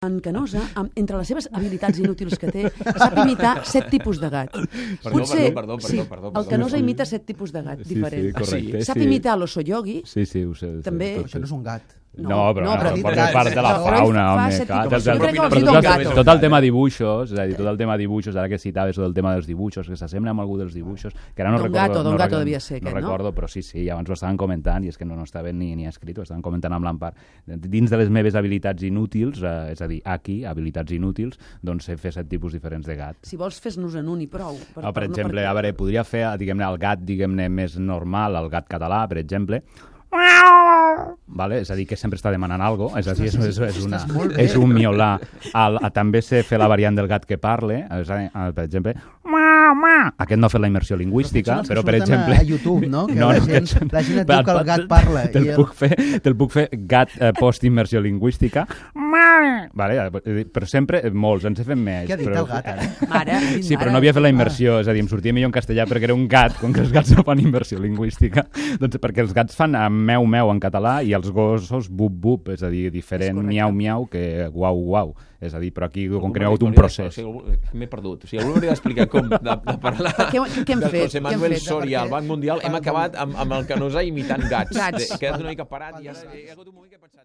En Canosa, entre les seves habilitats inútils que té, sap imitar 7 tipus de gat. Perdó. El Canosa imita 7 tipus de gat diferents. Sí, correcte. Sap imitar l'oso yogi. Sí, ho sé. També. Això no és un gat. No, però però part de la fauna, home. Tot el tema dibuixos, és a dir, tot el tema dibuixos, ara que citaves tot el tema dels dibuixos, que s'assembla amb algú dels dibuixos, que ara no recordo. Don Gato devia ser aquest, no? No recordo, però sí, abans ho estaven comentant, i és que no estava ni escrit, ho estaven comentant amb l'Empar. Dins de les meves habilitats inútils, és a dir, aquí, habilitats inútils, doncs sé fer 7 tipus diferents de gat. Si vols, fes-nos en un i prou. Per exemple, a veure, podria fer, diguem-ne, el gat, diguem-ne, més normal, el gat català, per exemple, vale? És a dir, que sempre està demanant alguna cosa, és a dir, és un miolà. També sé fer la variant del gat que parle, per exemple, aquest no ha fet la immersió lingüística, però per exemple... a YouTube, no? Que la gent et diu que el gat parla. Te'l puc fer gat post-immersió lingüística, vale? Però sempre molts, ens he fet més. Què ha dit el gat, ara? Sí, però no havia fet la immersió, és a dir, em sortia millor en castellà perquè era un gat, com que els gats no fan immersió lingüística, doncs perquè els gats fan meu en català i els gossos bup, és a dir, diferent miau que guau. És a dir, però aquí com que no hi ha hagut un procés. M'he perdut. O sigui, algú hauria d'explicar com de parlar de José Manuel Soria al Banc Mundial. Hem acabat amb el Canosa imitant gats. He quedat una mica parat i ara he hagut un moment que he pensat...